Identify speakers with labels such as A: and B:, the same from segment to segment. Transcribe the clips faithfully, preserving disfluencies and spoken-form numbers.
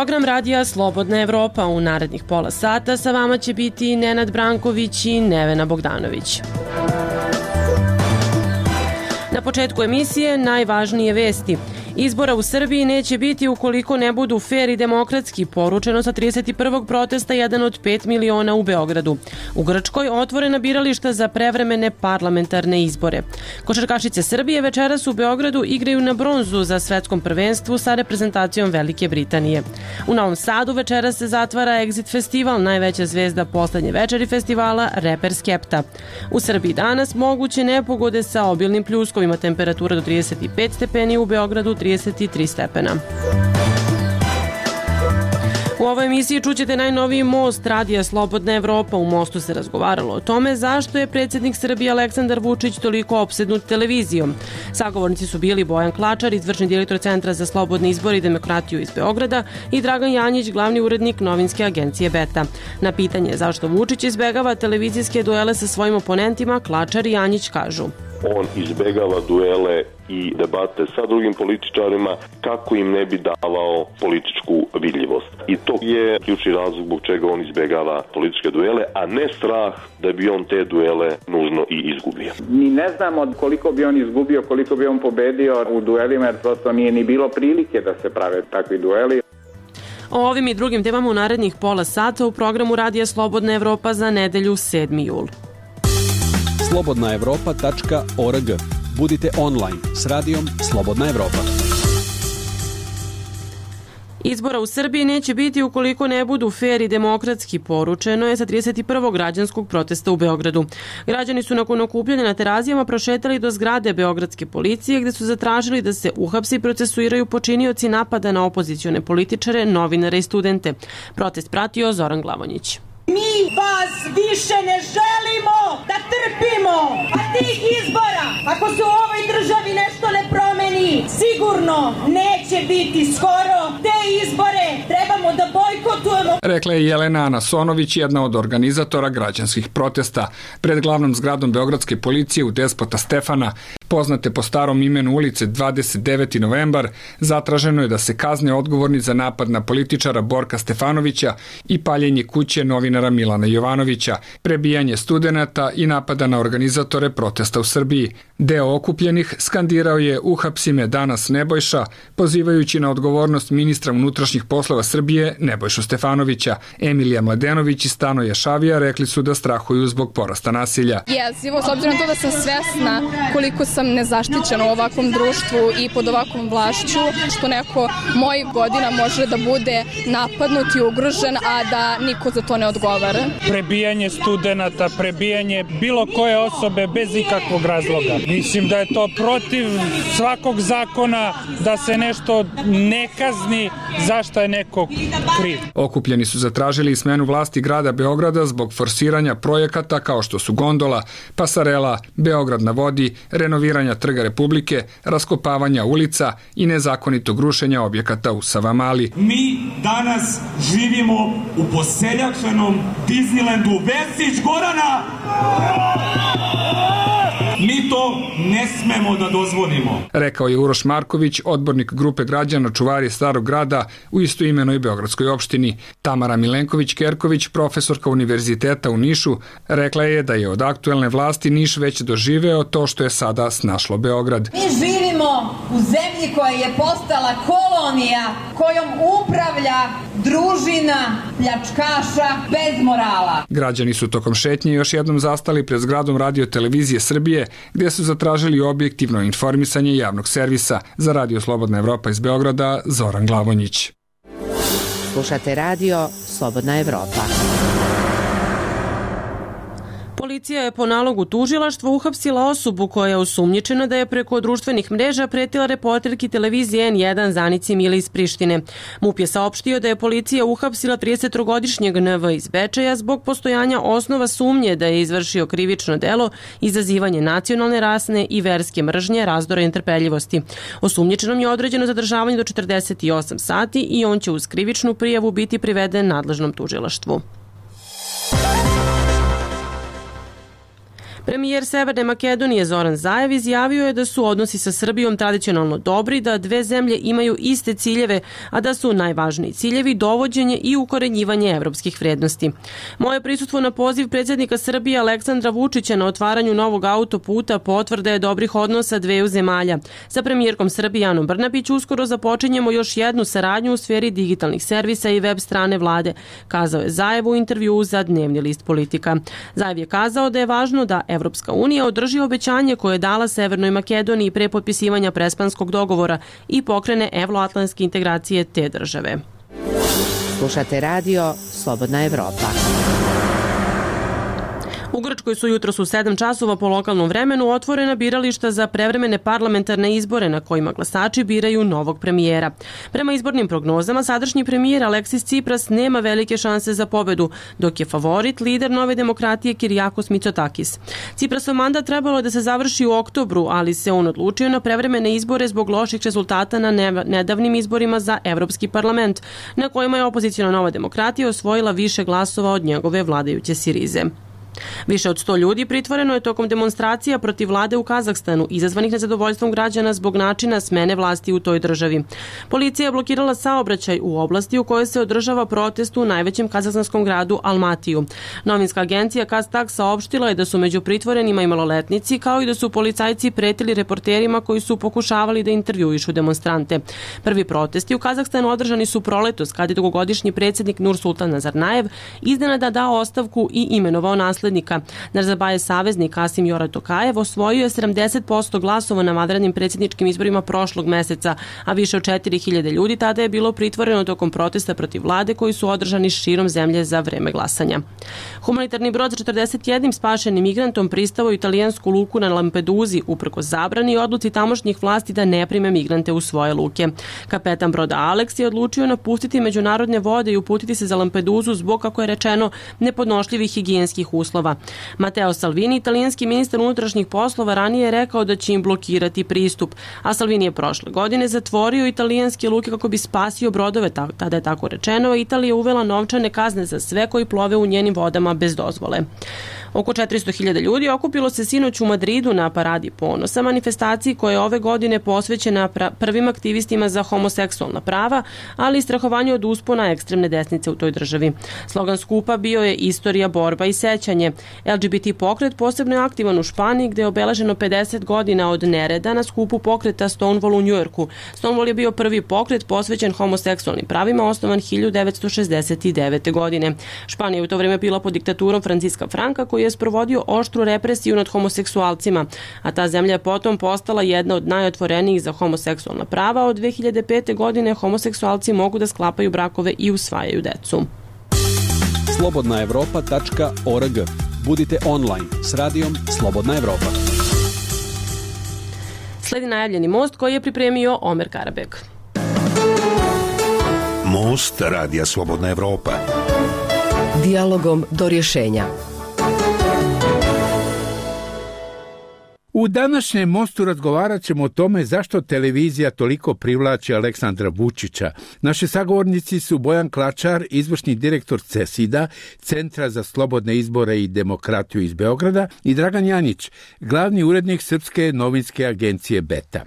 A: program radija Slobodna Evropa. U narednih pola sata sa vama će biti Nenad Branković i Nevena Bogdanović. Na početku emisije najvažnije vesti. Izbora u Srbiji neće biti ukoliko ne budu fer i demokratski, poručeno sa trideset prvog protesta jedan od pet miliona u Beogradu. U Grčkoj otvorena birališta za prevremene parlamentarne izbore. Košarkašice Srbije večeras u Beogradu igraju na bronzu za svetskom prvenstvu sa reprezentacijom Velike Britanije. U Novom Sadu večeras se zatvara Exit festival, najveća zvezda poslednje večeri festivala, reper Skepta. U Srbiji danas moguće nepogode sa obilnim pljuskovima, temperatura do trideset pet stepeni, u Beogradu trideset tri stepena. U ovoj emisiji čućete najnoviji most radija Slobodna Evropa. U mostu se razgovaralo o tome zašto je predsjednik Srbije Aleksandar Vučić toliko opsednut televizijom. Sagovornici su bili Bojan Klačar, izvršni direktor Centra za slobodne izbore i demokratiju iz Beograda, i Dragan Janjić, glavni urednik novinske agencije Beta. Na pitanje zašto Vučić izbegava televizijske duele sa svojim oponentima, Klačar i Janjić kažu:
B: on izbegava duele i debate sa drugim političarima kako im ne bi davao političku vidljivost. I to je ključni razlog zbog čega on izbegava političke duele, a ne strah da bi on te duele nužno i izgubio.
C: Mi ne znamo koliko bi on izgubio, koliko bi on pobedio u duelima, jer prosto nije ni bilo prilike da se prave takvi dueli.
A: O ovim i drugim temama u narednih pola sata u programu radija Slobodna Evropa za nedelju sedmi jul.
D: slobodna evropa tačka org. Budite online s radijom Slobodna Evropa.
A: Izbora u Srbiji neće biti ukoliko ne budu fer i demokratski, poručeno je sa trideset prvog građanskog protesta u Beogradu. Građani su nakon okupljanja na Terazijama prošetali do zgrade beogradske policije gde su zatražili da se uhapse i procesuiraju počinioci napada na opozicione političare, novinare i studente. Protest pratio Zoran Glavonjić.
E: Mi vas više ne želimo da trpimo, a tih izbora, ako se u ovoj državi nešto ne promeni, sigurno neće biti skoro. Te izbore trebamo da bojkotujemo.
F: Rekla je Jelena Anasonović, jedna od organizatora građanskih protesta. Pred glavnom zgradom beogradske policije u Despota Stefana, poznate po starom imenu ulice dvadeset deveti novembar, zatraženo je da se kazne odgovorni za napad na političara Borka Stefanovića i paljenje kuće novinara Milana Jovanovića, prebijanje studenata i napada na organizatore protesta u Srbiji. Deo okupljenih skandirao je "Uhapsi me danas Nebojša", pozivajući na odgovornost ministra unutrašnjih poslova Srbije Nebojšu Stefanovića. Emilija Mladenović i Stanoje Šavija rekli su da strahuju zbog porasta nasilja.
G: Jezivo, s obzirom to da sam svesna koliko sam nezaštićena u ovakvom društvu i pod ovakvom vlašću, što neko mojih godina može da bude napadnut i ugrožen, a da niko za to ne odgovara.
H: Prebijanje studenata, prebijanje bilo koje osobe bez ikakvog razloga. Mislim da je to protiv svakog zakona da se nešto ne kazni zašto je neko kriv.
F: Okupljeni su zatražili smenu vlasti grada Beograda zbog forsiranja projekata kao što su gondola, pasarela, Beograd na vodi, renoviranja Trga Republike, raskopavanja ulica i nezakonitog rušenja objekata u Savamali.
I: Mi danas živimo u poseljačenom Disneylandu Vesić Gorana. Mi to ne smemo da dozvolimo,
F: rekao je Uroš Marković, odbornik grupe građana Čuvari Starog grada u istoimenoj beogradskoj opštini. Tamara Milenković-Kerković, profesorka univerziteta u Nišu, rekla je da je od aktuelne vlasti Niš već doživeo to što je sada snašlo Beograd.
E: Mi živimo u zemlji koja je postala kolonija kojom upravlja družina pljačkaša bez morala.
F: Građani su tokom šetnje još jednom zastali pred zgradom Radio televizije Srbije, gde su zatražili objektivno informisanje javnog servisa. Za Radio Slobodna Evropa iz Beograda, Zoran Glavonjić.
J: Slušate radio Slobodna Evropa.
A: Policija je po nalogu tužilaštva uhapsila osobu koja je osumnjičena da je preko društvenih mreža pretila reporterki televizije en jedan Zanici Mili iz Prištine. MUP je saopštio da je policija uhapsila tridesettrogodišnjeg en ve iz Bečeja zbog postojanja osnova sumnje da je izvršio krivično delo izazivanje nacionalne, rasne i verske mržnje, razdora i netrpeljivosti. Osumnjičenom je određeno zadržavanje do četrdeset osam sati i on će uz krivičnu prijavu biti priveden nadležnom tužilaštvu. Premijer Severne Makedonije Zoran Zaev izjavio je da su odnosi sa Srbijom tradicionalno dobri, da dve zemlje imaju iste ciljeve, a da su najvažniji ciljevi dovođenje i ukorenjivanje evropskih vrednosti. Moje prisustvo na poziv predsjednika Srbije Aleksandra Vučića na otvaranju novog autoputa potvrda je dobrih odnosa dveju zemalja. Sa premijerkom Srbije Anom Brnabić uskoro započinjemo još jednu saradnju u sferi digitalnih servisa i web strane vlade, kazao je Zaev u intervjuu za Dnevni list Politika. Zaev je kazao da je važno da Evropska unija održi obećanje koje je dala Severnoj Makedoniji pre potpisivanja Prespanskog dogovora i pokrene evroatlantske integracije te države.
J: Slušate radio Slobodna Evropa.
A: U Grčkoj su jutros u sedam časova po lokalnom vremenu otvorena birališta za prevremene parlamentarne izbore na kojima glasači biraju novog premijera. Prema izbornim prognozama, sadašnji premijer Aleksis Tsipras nema velike šanse za pobedu, dok je favorit lider Nove demokratije Kyriakos Mitsotakis. Tsiprasov mandat trebalo je da se završi u oktobru, ali se on odlučio na prevremene izbore zbog loših rezultata na nedavnim izborima za Evropski parlament, na kojima je opozicijona Nova demokratija osvojila više glasova od njegove vladajuće Sirize. Više od sto ljudi pritvoreno je tokom demonstracija protiv vlade u Kazahstanu, izazvanih nezadovoljstvom građana zbog načina smene vlasti u toj državi. Policija je blokirala saobraćaj u oblasti u kojoj se održava protest u najvećem kazahstanskom gradu Almatiju. Novinska agencija Kaztak saopštila je da su među pritvorenima i maloletnici, kao i da su policajci pretili reporterima koji su pokušavali da intervjuišu demonstrante. Prvi protesti u Kazahstanu održani su proletos, kad je dugogodišnji predsjednik Nursultan Nazarnajev iznenada dao ostavku i imenovao naslednika. Nazarbajev saveznik Kasim Jomart Tokajev osvojio je sedamdeset posto glasova na vanrednim predsjedničkim izborima prošlog meseca, a više od četiri hiljade ljudi tada je bilo pritvoreno tokom protesta protiv vlade koji su održani širom zemlje za vreme glasanja. Humanitarni brod sa četrdeset jednim spašenim migrantom pristao u italijansku luku na Lampeduzi uprkos zabrani i odluci tamošnjih vlasti da ne prime migrante u svoje luke. Kapetan broda Alex je odlučio napustiti međunarodne vode i uputiti se za Lampeduzu zbog, kako je rečeno, nepodnošljivih higijenskih uslova. Matteo Salvini, italijanski ministar unutrašnjih poslova, ranije je rekao da će im blokirati pristup, a Salvini je prošle godine zatvorio italijanske luke kako bi spasio brodove, tada je tako rečeno, a Italija je uvela novčane kazne za sve koji plove u njenim vodama bez dozvole. Oko četiristo hiljada ljudi okupilo se sinoć u Madridu na Paradi ponosa, manifestaciji koja je ove godine posvećena prvim aktivistima za homoseksualna prava, ali i strahovanju od uspona ekstremne desnice u toj državi. Slogan skupa bio je Istorija, borba i sećanje. L G B T pokret posebno je aktivan u Španiji, gde je obeleženo pedeset godina od nereda na skupu pokreta Stonewall u Njujorku. Stonewall je bio prvi pokret posvećen homoseksualnim pravima, osnovan hiljadu devetsto šezdeset devete. godine. Španija je u to vreme bila pod diktaturom Franciska Franka, koji je sprovodio oštru represiju nad homoseksualcima, a ta zemlja je potom postala jedna od najotvorenijih za homoseksualna prava. Od dve hiljade pete. godine homoseksualci mogu da sklapaju brakove i usvajaju decu.
D: slobodna evropa tačka org. Budite online s radijom Slobodna Evropa.
A: Sledi najavljeni most koji je pripremio Omer Karabek.
K: Most radija Slobodna Evropa.
L: Dijalogom do rješenja.
M: U današnjem mostu razgovarat ćemo o tome zašto televizija toliko privlači Aleksandra Vučića. Naši sagovornici su Bojan Klačar, izvršni direktor CESID-a, Centra za slobodne izbore i demokratiju iz Beograda, i Dragan Janić, glavni urednik Srpske novinske agencije Beta.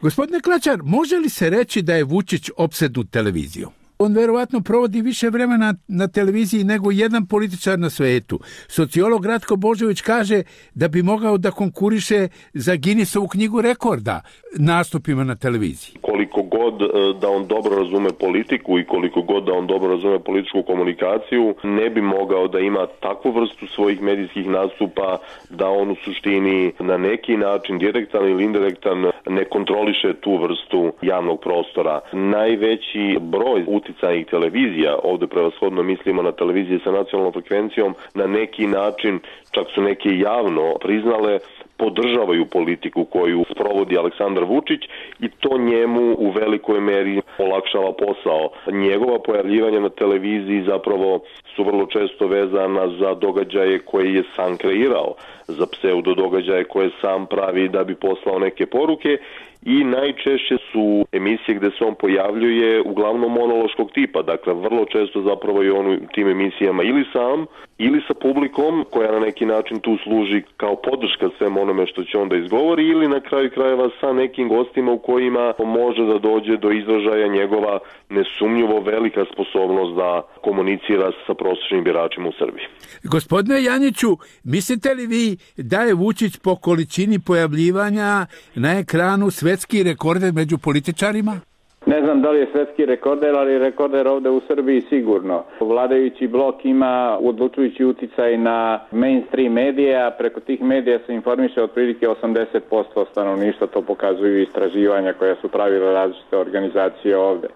M: Gospodine Klačar, može li se reći da je Vučić opsednut televizijom? On verovatno provodi više vremena na televiziji nego jedan političar na svetu. Sociolog Ratko Božović kaže da bi mogao da konkuriše za Guinnessovu knjigu rekorda nastupima na televiziji.
B: Koliko god da on dobro razume politiku i koliko god da on dobro razume političku komunikaciju, ne bi mogao da ima takvu vrstu svojih medijskih nastupa da on u suštini na neki način, direktan ili indirektan, ne kontroliše tu vrstu javnog prostora. Najveći broj uticajnih televizija, ovdje prevashodno mislimo na televizije sa nacionalnom frekvencijom, na neki način, čak su neke javno priznale, podržavaju politiku koju sprovodi Aleksandar Vučić i to njemu u velikoj meri olakšava posao. Njegova pojavljivanja na televiziji zapravo su vrlo često vezana za događaje koje je sam kreirao, za pseudo događaje koje sam pravi da bi poslao neke poruke i najčešće su emisije gde se on pojavljuje uglavnom monološkog tipa, dakle vrlo često zapravo je on u tim emisijama ili sam ili sa publikom koja na neki način tu služi kao podrška svem onome što će onda izgovori ili na kraju krajeva sa nekim gostima u kojima može da dođe do izražaja njegova nesumnjivo velika sposobnost da komunicira sa prosječnim biračima u Srbiji.
M: Gospodine Janjiću, mislite li vi da je Vučić po količini pojavljivanja na ekranu svetski rekorder među političarima?
C: Ne znam da li je svetski rekorder, ali rekorder ovde u Srbiji sigurno. Vladajući blok ima odlučujući uticaj na mainstream medija, preko tih medija se informiše otprilike osamdeset posto stanovništva, to pokazuju istraživanja koja su pravile različite organizacije ovde.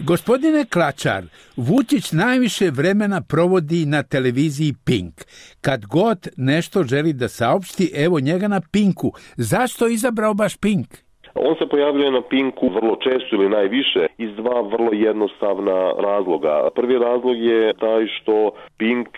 M: Gospodine Klačar, Vučić najviše vremena provodi na televiziji Pink. Kad god nešto želi da saopšti, evo njega na Pinku. Zašto je izabrao baš Pink?
B: On se pojavljuje na Pinku vrlo često ili najviše iz dva vrlo jednostavna razloga. Prvi razlog je taj što Pink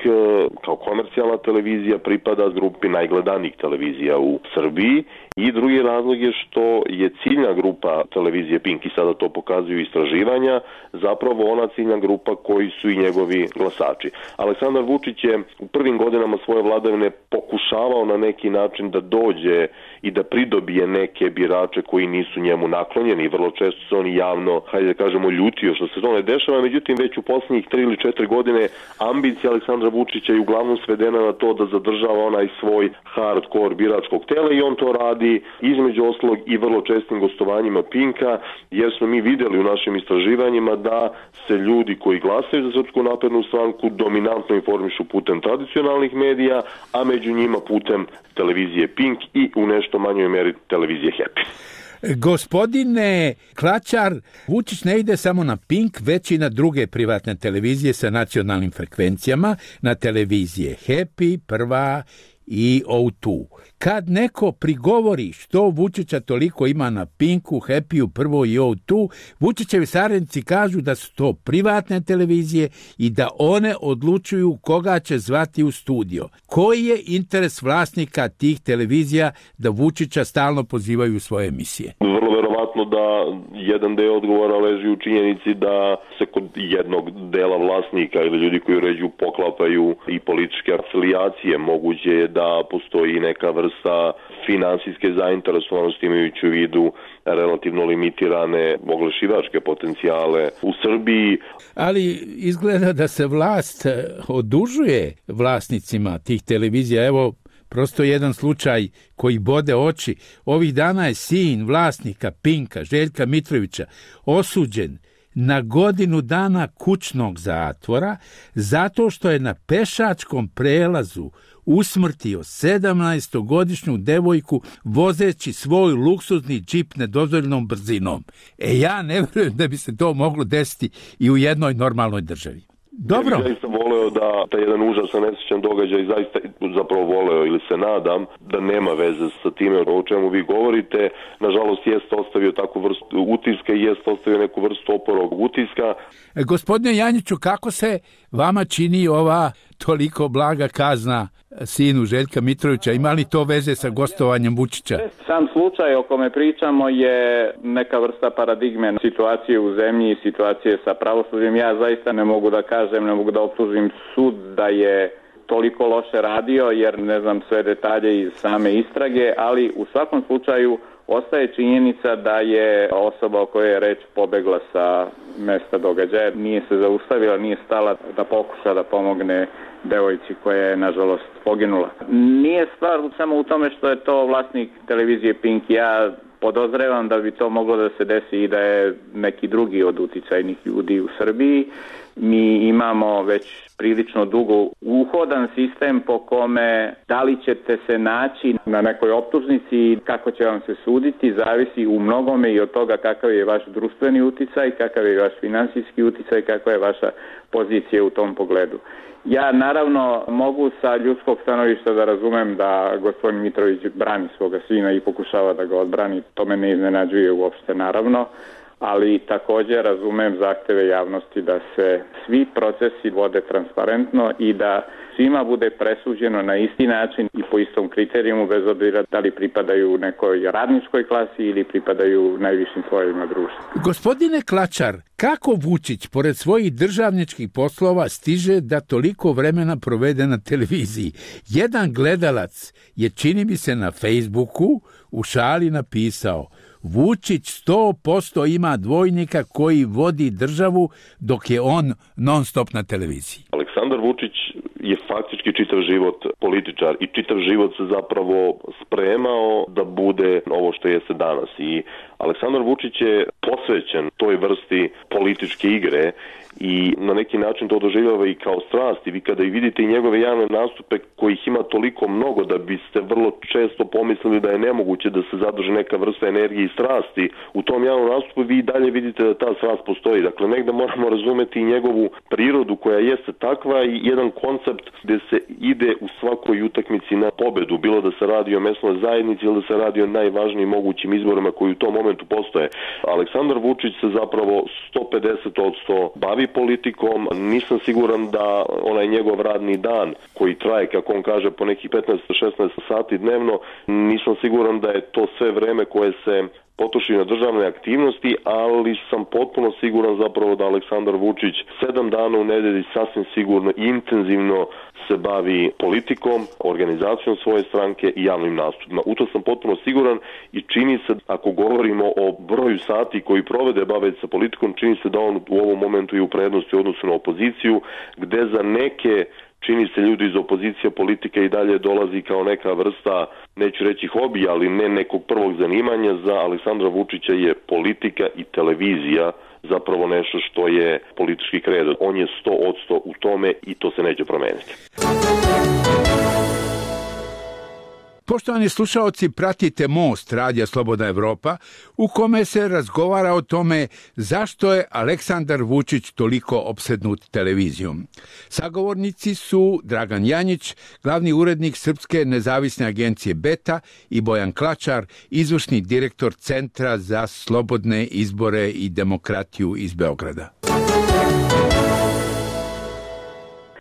B: kao komercijalna televizija pripada grupi najgledanijih televizija u Srbiji i drugi razlog je što je ciljna grupa televizije Pink i sada to pokazuju istraživanja, zapravo ona ciljna grupa koji su i njegovi glasači. Aleksandar Vučić je u prvim godinama svoje vladavine pokušavao na neki način da dođe i da pridobije neke birače koji nisu njemu naklonjeni i vrlo često se on javno, hajde da kažemo, ljutio što se to ne dešava, međutim već u posljednjih tri ili četiri godine ambicija Aleksandra Vučića je uglavnom svedena na to da zadržava onaj svoj hardcore biračkog tela i on to radi između ostalog i vrlo čestim gostovanjima Pinka, jer smo mi vidjeli u našim istraživanjima da se ljudi koji glasaju za Srpsku naprednu stranku dominantno informišu putem tradicionalnih medija, a među njima putem televizije Pink i u nešto manjoj meri televizije Happy.
M: Gospodine Klačar, Vučić ne ide samo na Pink, već i na druge privatne televizije sa nacionalnim frekvencijama, na televizije Happy, Prva i O dva. Kad neko prigovori što Vučića toliko ima na Pinku, Happyu, Prvo i O dva, Vučićevi saradnici kažu da su to privatne televizije i da one odlučuju koga će zvati u studio. Koji je interes vlasnika tih televizija da Vučića stalno pozivaju u svoje emisije?
B: Vrlo verovatno da jedan deo odgovora leži u činjenici da se kod jednog dela vlasnika ili ljudi koji uređuju poklapaju i političke afilijacije. Moguće je da postoji neka vrsta finansijske zainteresovanosti imajući u vidu relativno limitirane oglašivačke potencijale u Srbiji.
M: Ali izgleda da se vlast odužuje vlasnicima tih televizija. Evo, prosto jedan slučaj koji bode oči. Ovih dana je sin vlasnika Pinka, Željka Mitrovića, osuđen na godinu dana kućnog zatvora zato što je na pešačkom prelazu usmrtio sedamnaestogodišnju devojku vozeći svoj luksuzni džip nedozvoljenom brzinom. E ja ne vjerujem da bi se to moglo desiti i u jednoj normalnoj državi. Dobro.
B: Ja zaista voleo da taj jedan užasan nesrećan događaj zaista zapravo voleo ili se nadam da nema veze sa time o čemu vi govorite. Nažalost jest ostavio takvu vrstu utiska i jest ostavio neku vrstu oporog utiska.
M: E, gospodine Janjiću, kako se vama čini ova toliko blaga kazna sinu Željka Mitrovića? Ima li to veze sa gostovanjem Vučića?
C: Sam slučaj o kome pričamo je neka vrsta paradigme situacije u zemlji i situacije sa pravosuđem. Ja zaista ne mogu da kažem, ne mogu da optužim sud da je toliko loše radio, jer ne znam sve detalje iz same istrage, ali u svakom slučaju ostaje činjenica da je osoba o kojoj je reč pobegla sa mesta događaja, nije se zaustavila, nije stala da pokuša da pomogne devojci koja je nažalost poginula. Nije stvar samo u tome što je to vlasnik televizije Pink. Ja podozrevam da bi to moglo da se desi i da je neki drugi od uticajnih ljudi u Srbiji. Mi imamo već prilično dugo uhodan sistem po kome da li ćete se naći na nekoj optužnici i kako će vam se suditi, zavisi u mnogome i od toga kakav je vaš društveni uticaj, kakav je vaš finansijski uticaj, kakva je vaša pozicija u tom pogledu. Ja naravno mogu sa ljudskog stanovišta da razumem da gospodin Mitrović brani svoga sina i pokušava da ga odbrani, to me ne iznenađuje uopšte naravno, ali također razumem zahteve javnosti da se svi procesi vode transparentno i da svima bude presuđeno na isti način i po istom kriterijumu, bez obzira da li pripadaju nekoj radničkoj klasi ili pripadaju najvišim slojevima društva.
M: Gospodine Klačar, kako Vučić, pored svojih državničkih poslova, stiže da toliko vremena provede na televiziji? Jedan gledalac je, čini mi se, na Facebooku u šali napisao: Vučić sto posto ima dvojnika koji vodi državu dok je on non stop na televiziji.
B: Aleksandar Vučić je faktički čitav život političar i čitav život se zapravo spremao da bude ovo što jeste danas. I Aleksandar Vučić je posvećen toj vrsti političke igre i na neki način to doživljava i kao strast. I vi kada i vidite i njegove javne nastupe kojih ima toliko mnogo da biste vrlo često pomislili da je nemoguće da se zadrži neka vrsta energije i strasti u tom javnom nastupu, vi i dalje vidite da ta strast postoji. Dakle, negde moramo razumeti i njegovu prirodu koja jeste takva i jedan koncept gde se ide u svakoj utakmici na pobedu, bilo da se radi o mesnoj zajednici ili da se radi o najvažnijim mogućim izborima koji u tom momentu postoje. Aleksandar Vučić se zapravo sto pedeset posto bavi politikom. Nisam siguran da onaj njegov radni dan koji traje, kako on kaže, po nekih petnaest do šesnaest sati dnevno, nisam siguran da je to sve vreme koje se potroši na državne aktivnosti, ali sam potpuno siguran zapravo da Aleksandar Vučić sedam dana u nedelji sasvim sigurno intenzivno se bavi politikom, organizacijom svoje stranke i javnim nastupima. U to sam potpuno siguran i čini se, ako govorimo o broju sati koji provede baveći sa politikom, čini se da on u ovom momentu je u prednosti u odnosu na opoziciju, gde za neke čini se ljudi iz opozicije politika i dalje dolazi kao neka vrsta, neću reći hobija, ali ne nekog prvog zanimanja. Za Aleksandra Vučića je politika i televizija zapravo nešto što je politički kredo. On je sto odsto u tome i to se neće promeniti.
M: Poštovani slušaoci, pratite Most Radija Slobodna Evropa, u kome se razgovara o tome zašto je Aleksandar Vučić toliko opsednut televizijom. Sagovornici su Dragan Janjić, glavni urednik Srpske nezavisne agencije Beta, i Bojan Klačar, izvršni direktor Centra za slobodne izbore i demokratiju iz Beograda.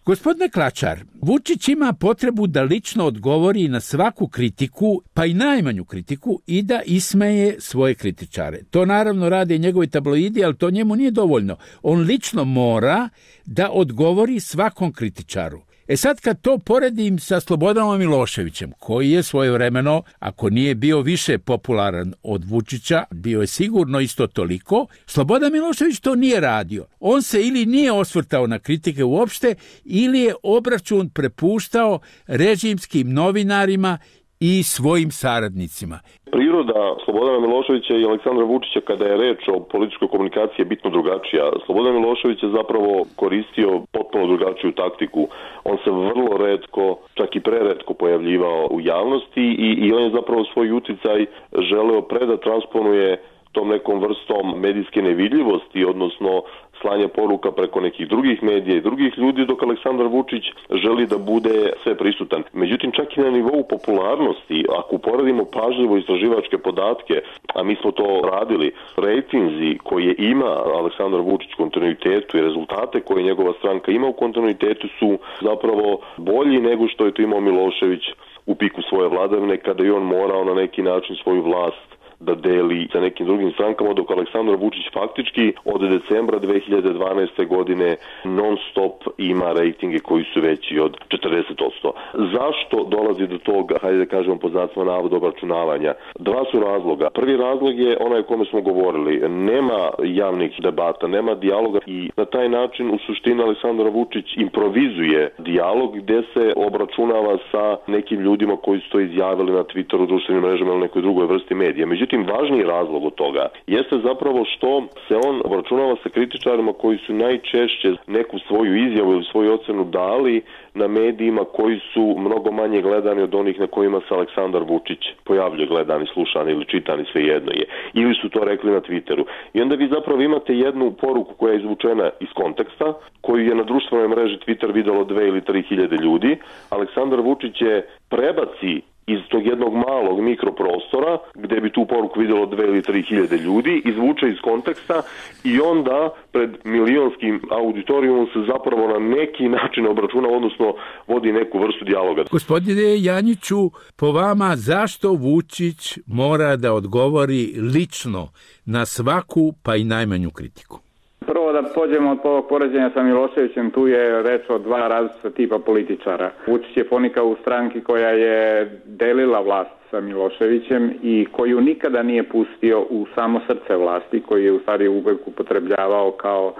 M: Gospodine Klačar, Vučić ima potrebu da lično odgovori na svaku kritiku, pa i najmanju kritiku, i da ismeje svoje kritičare. To naravno rade i njegovi tabloidi, ali to njemu nije dovoljno. On lično mora da odgovori svakom kritičaru. E sad, kad to poredim sa Slobodanom Miloševićem, koji je svojevremeno, ako nije bio više popularan od Vučića, bio je sigurno isto toliko, Slobodan Milošević to nije radio. On se ili nije osvrtao na kritike uopšte, ili je obračun prepuštao režimskim novinarima i svojim saradnicima.
B: Priroda Slobodana Miloševića i Aleksandra Vučića kada je reč o političkoj komunikaciji je bitno drugačija. Slobodan Milošević je zapravo koristio potpuno drugačiju taktiku. On se vrlo retko, čak i preretko pojavljivao u javnosti i, i on je zapravo svoj uticaj želeo pre da transponuje tom nekom vrstom medijske nevidljivosti, odnosno slanja poruka preko nekih drugih medija i drugih ljudi, dok Aleksandar Vučić želi da bude sve prisutan. Međutim, čak i na nivou popularnosti, ako uporedimo pažljivo istraživačke podatke, a mi smo to radili, rejtinzi koje ima Aleksandar Vučić u kontinuitetu i rezultate koje njegova stranka ima u kontinuitetu su zapravo bolji nego što je to imao Milošević u piku svoje vladavine, kada je on morao na neki način svoju vlast da deli sa nekim drugim strankama, dok Aleksandar Vučić faktički od decembra dve hiljade dvanaeste. godine non stop ima rejtinge koji su veći od četrdeset posto. Zašto dolazi do toga, hajde da kažemo pod znacima navoda, obračunavanja? Dva su razloga. Prvi razlog je onaj o kome smo govorili. Nema javnih debata, nema dijaloga i na taj način u suštini Aleksandar Vučić improvizuje dijalog gde se obračunava sa nekim ljudima koji su to izjavili na Twitteru, društvenim mrežama ili nekoj drugoj vrsti medija. Međutim, Međutim, važniji razlog od toga jeste zapravo što se on obračunava sa kritičarima koji su najčešće neku svoju izjavu ili svoju ocenu dali na medijima koji su mnogo manje gledani od onih na kojima se Aleksandar Vučić pojavljuje, gledani, slušani ili čitani, svejedno je. Ili su to rekli na Twitteru. I onda vi zapravo imate jednu poruku koja je izvučena iz konteksta, koju je na društvenoj mreži Twitter videlo dve ili tri hiljade ljudi. Aleksandar Vučić je prebaci iz tog jednog malog mikroprostora, gde bi tu poruku videlo dve ili tri hiljade ljudi, izvuče iz konteksta i onda pred milionskim auditorijumom se zapravo na neki način obračuna, odnosno vodi neku vrstu dijaloga.
M: Gospodine Janjiću, po vama zašto Vučić mora da odgovori lično na svaku pa i najmanju kritiku?
C: Prvo da pođemo od ovog poređenja sa Miloševićem, tu je reč o dva različita tipa političara. Vučić je ponikao u stranki koja je delila vlast sa Miloševićem i koju nikada nije pustio u samo srce vlasti, koji je u stvari uvek upotrebljavao kao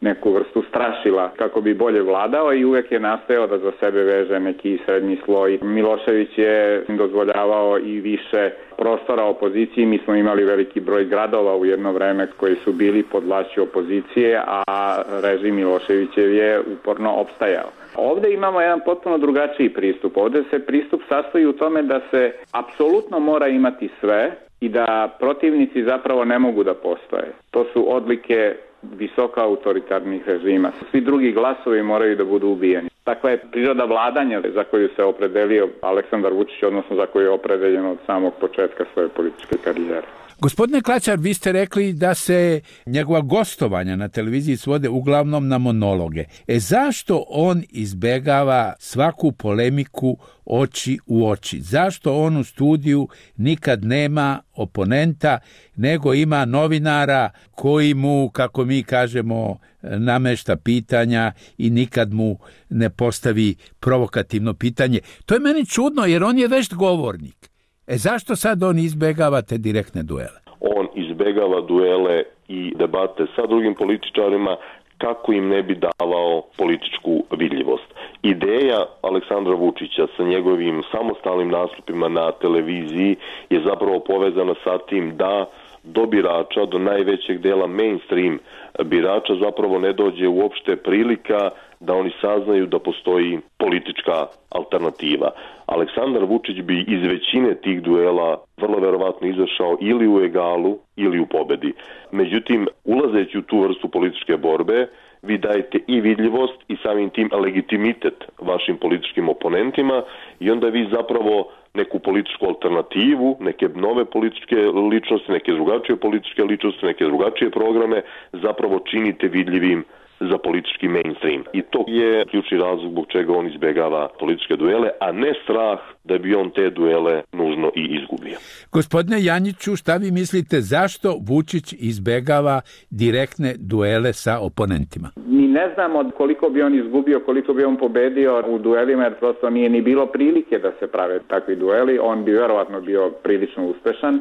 C: neku vrstu strašila kako bi bolje vladao i uvek je nastojao da za sebe veže neki srednji sloj. Milošević je dozvoljavao i više prostora opoziciji. Mi smo imali veliki broj gradova u jedno vreme koji su bili pod vlašću opozicije, a režim Miloševićev je uporno opstajao. Ovde imamo jedan potpuno drugačiji pristup. Ovde se pristup sastoji u tome da se apsolutno mora imati sve i da protivnici zapravo ne mogu da postoje. To su odlike visoko autoritarnih režima. Svi drugi glasovi moraju da budu ubijeni. Takva je priroda vladanja za koju se opredelio Aleksandar Vučić, odnosno za koju je opredeljen od samog početka svoje političke karijere.
M: Gospodine Klačar, vi ste rekli da se njegova gostovanja na televiziji svode uglavnom na monologe. E zašto on izbegava svaku polemiku oči u oči? Zašto on u studiju nikad nema oponenta, nego ima novinara koji mu, kako mi kažemo, namešta pitanja i nikad mu ne postavi provokativno pitanje? To je meni čudno jer on je vešt govornik. E zašto sad on izbegava te direktne duele?
B: On izbegava duele i debate sa drugim političarima kako im ne bi davao političku vidljivost. Ideja Aleksandra Vučića sa njegovim samostalnim nastupima na televiziji je zapravo povezana sa tim da do birača, do najvećeg dela mainstream birača zapravo ne dođe uopšte prilika da oni saznaju da postoji politička alternativa. Aleksandar Vučić bi iz većine tih duela vrlo verovatno izašao ili u egalu ili u pobedi. Međutim, ulazeći u tu vrstu političke borbe, vi dajete i vidljivost i samim tim legitimitet vašim političkim oponentima i onda vi zapravo neku političku alternativu, neke nove političke ličnosti, neke drugačije političke ličnosti, neke drugačije programe zapravo činite vidljivim za politički mainstream. I to je ključni razlog zbog čega on izbegava političke duele, a ne strah da bi on te duele nužno i izgubio.
M: Gospodine Janjiću, šta vi mislite zašto Vučić izbegava direktne duele sa oponentima?
C: Mi ne znamo koliko bi on izgubio, koliko bi on pobedio u duelima, jer prosto nije ni bilo prilike da se prave takvi dueli. On bi verovatno bio prilično uspešan,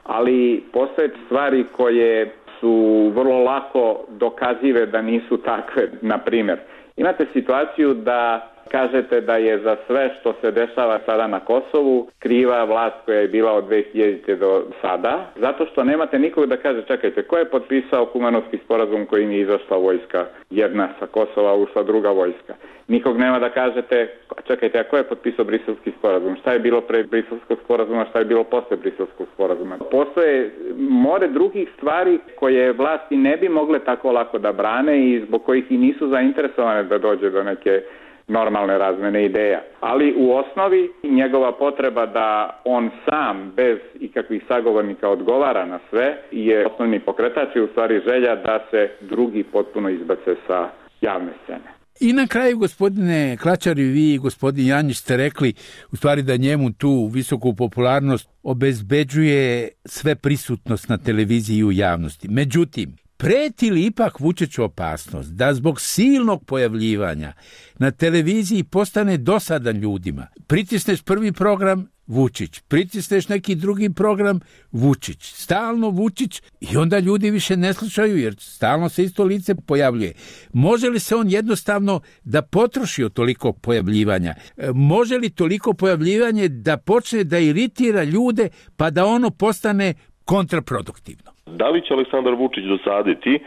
C: ali postoje stvari koje su vrlo lako dokazive da nisu takve. Na primjer, imate situaciju da kažete da je za sve što se dešava sada na Kosovu kriva vlast koja je bila od dve hiljadite do sada, zato što nemate nikog da kaže čekajte, ko je potpisao Kumanovski sporazum kojim je izašla vojska jedna sa Kosova, ušla druga vojska. Nikog nema da kažete čekajte, a ko je potpisao Briselski sporazum? Šta je bilo pre Briselskog sporazuma, šta je bilo posle Briselskog sporazuma? Postoje more drugih stvari koje vlasti ne bi mogle tako lako da brane i zbog kojih i nisu zainteresovane da dođe do neke normalne razmene ideja. Ali u osnovi njegova potreba da on sam bez ikakvih sagovornika odgovara na sve je osnovni pokretač i u stvari želja da se drugi potpuno izbace sa javne scene.
M: I na kraju, gospodine Klačar, i vi i gospodin Janjić ste rekli u stvari da njemu tu visoku popularnost obezbeđuje sve prisutnost na televiziji i u javnosti. Međutim, preti li ipak Vučiću opasnost da zbog silnog pojavljivanja na televiziji postane dosadan ljudima? Pritisneš prvi program, Vučić, pritisneš neki drugi program, Vučić, stalno Vučić i onda ljudi više ne slušaju jer stalno se isto lice pojavljuje. Može li se on jednostavno da potroši od toliko pojavljivanja? Može li toliko pojavljivanje da počne da iritira ljude pa da ono postane kontraproduktivno?
B: Da li će Aleksandar Vučić dosaditi?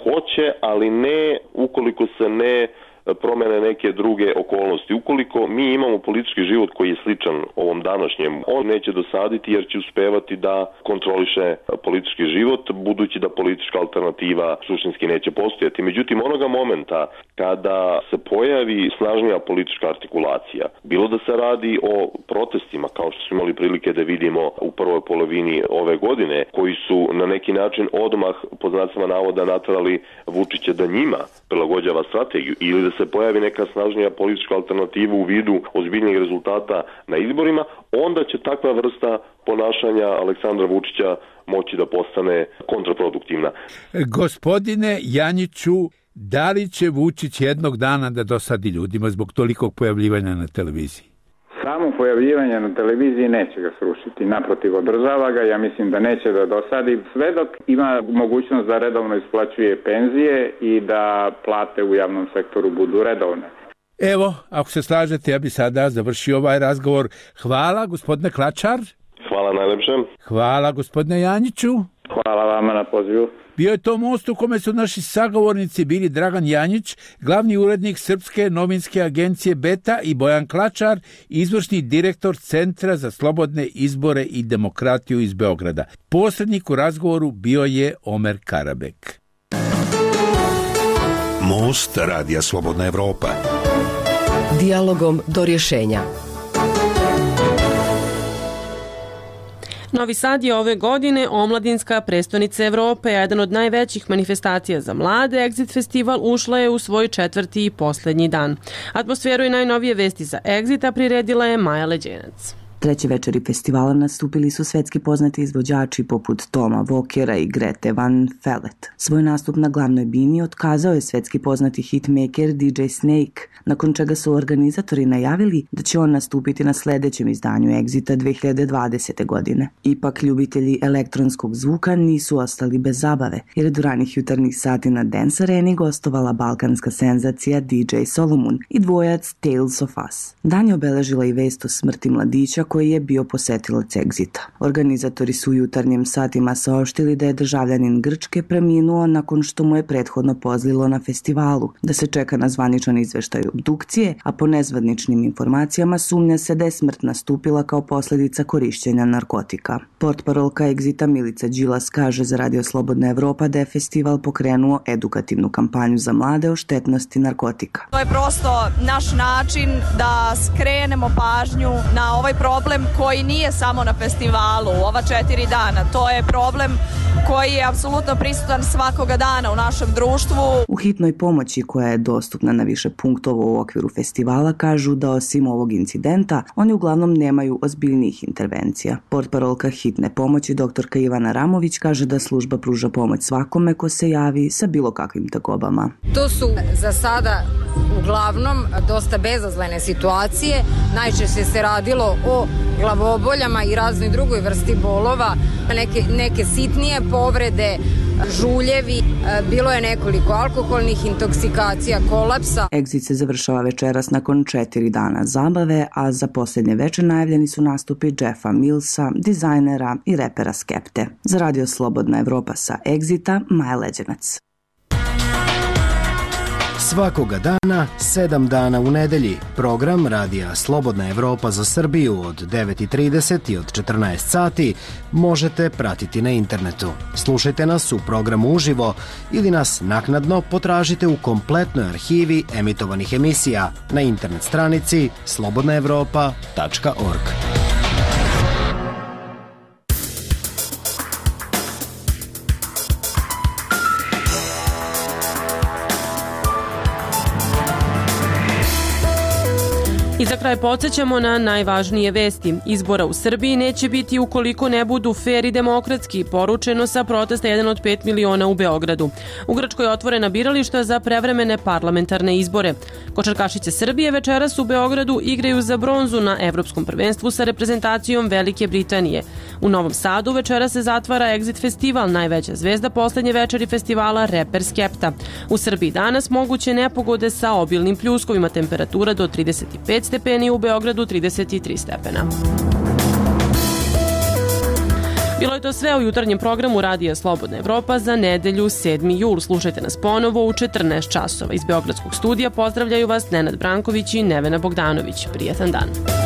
B: Hoće, ali ne ukoliko se ne promene neke druge okolnosti. Ukoliko mi imamo politički život koji je sličan ovom današnjem, on neće dosaditi jer će uspevati da kontroliše politički život, budući da politička alternativa suštinski neće postojati. Međutim, onoga momenta kada se pojavi snažnija politička artikulacija, bilo da se radi o protestima, kao što smo imali prilike da vidimo u prvoj polovini ove godine, koji su na neki način odmah, pod znacima navoda, naterali Vučića da njima prilagođava strategiju, ili da se pojavi neka snažnija politička alternativa u vidu ozbiljnih rezultata na izborima, onda će takva vrsta ponašanja Aleksandra Vučića moći da postane kontraproduktivna.
M: Gospodine Janjiću, da li će Vučić jednog dana da dosadi ljudima zbog tolikog pojavljivanja na televiziji?
C: Samo pojavljivanje na televiziji neće ga srušiti, naprotiv, održava ga, ja mislim da neće da dosadi, sve dok ima mogućnost da redovno isplaćuje penzije i da plate u javnom sektoru budu redovne.
M: Evo, ako se slažete, ja bi sada završio ovaj razgovor. Hvala, gospodine Klačar.
B: Hvala najlepše.
M: Hvala, gospodine Janjiću.
C: Hvala vama na pozivu.
M: Bio je to most u kome su naši sagovornici bili Dragan Janjić, glavni urednik Srpske novinske agencije Beta, i Bojan Klačar, izvršni direktor Centra za slobodne izbore i demokratiju iz Beograda. Posrednik u razgovoru bio je Omer Karabek.
K: Most Radija Slobodna Evropa.
L: Dijalogom do rješenja.
A: Novi Sad je ove godine omladinska prestonica Evrope, a jedan od najvećih manifestacija za mlade. Exit festival ušla je u svoj četvrti i posljednji dan. Atmosferu i najnovije vesti za Exita priredila je Maja Leđenac.
N: Treće večeri festivala nastupili su svetski poznati izvođači poput Toma Vokera i Grete Van Fleet. Svoj nastup na glavnoj bini otkazao je svetski poznati hitmaker D J Snake, nakon čega su organizatori najavili da će on nastupiti na sljedećem izdanju Exita dve hiljade dvadesete. godine. Ipak ljubitelji elektronskog zvuka nisu ostali bez zabave, jer je do ranih jutarnjih sati na Dance Areni gostovala balkanska senzacija D J Solomon i dvojac Tales of Us. Dan je obeležila i vest o smrti mladića koji je bio posetilac Exita. Organizatori su u jutarnjim satima saopštili da je državljanin Grčke preminuo nakon što mu je prethodno pozlilo na festivalu, da se čeka na zvaničan izveštaj obdukcije, a po nezvaničnim informacijama sumnja se da je smrt nastupila kao posljedica korišćenja narkotika. Portparolka Exita Milica Đilas kaže za Radio Slobodna Evropa da je festival pokrenuo edukativnu kampanju za mlade o štetnosti narkotika.
O: To je prosto naš način da skrenemo pažnju na ovaj problem koji nije samo na festivalu u ova četiri dana. To je problem koji je apsolutno prisutan svakoga dana u našem društvu.
N: U hitnoj pomoći koja je dostupna na više punktova u okviru festivala kažu da osim ovog incidenta oni uglavnom nemaju ozbiljnijih intervencija. Portparolka hitne pomoći doktorka Ivana Ramović kaže da služba pruža pomoć svakome ko se javi sa bilo kakvim tegobama.
P: To su za sada uglavnom dosta bezazlene situacije. Najčešće se radilo o glavoboljama i raznoj drugoj vrsti bolova, neke, neke sitnije povrede, žuljevi, bilo je nekoliko alkoholnih intoksikacija, kolapsa.
N: Exit se završava večeras nakon četiri dana zabave, a za posljednje večer najavljeni su nastupi Jeffa Millsa, dizajnera i repera Skepte. Za Radio Slobodna Evropa sa Exita, Maja Leđenac.
Q: Svakoga dana, sedam dana u nedelji, program Radija Slobodna Evropa za Srbiju od devet i trideset i od četrnaest sati možete pratiti na internetu. Slušajte nas u programu uživo ili nas naknadno potražite u kompletnoj arhivi emitovanih emisija na internet stranici slobodna evropa tačka org.
A: I za kraj podsjećamo na najvažnije vesti. Izbora u Srbiji neće biti ukoliko ne budu fer i demokratski, poručeno sa protesta jedan od pet miliona u Beogradu. U Grčkoj je otvorena birališta za prevremene parlamentarne izbore. Košarkašice Srbije večeras u Beogradu igraju za bronzu na Evropskom prvenstvu sa reprezentacijom Velike Britanije. U Novom Sadu večeras se zatvara Exit festival, najveća zvezda poslednje večeri festivala reper Skepta. U Srbiji danas moguće nepogode sa obilnim pljuskovima, temperatura do trideset pet stepeni, u Beogradu trideset tri stepena. Bilo je to sve u jutarnjem programu Radija Slobodna Evropa za nedelju sedmi jul. Slušajte nas ponovo u četrnaest časova. Iz Beogradskog studija pozdravljaju vas Nenad Branković i Nevena Bogdanović. Prijatan dan.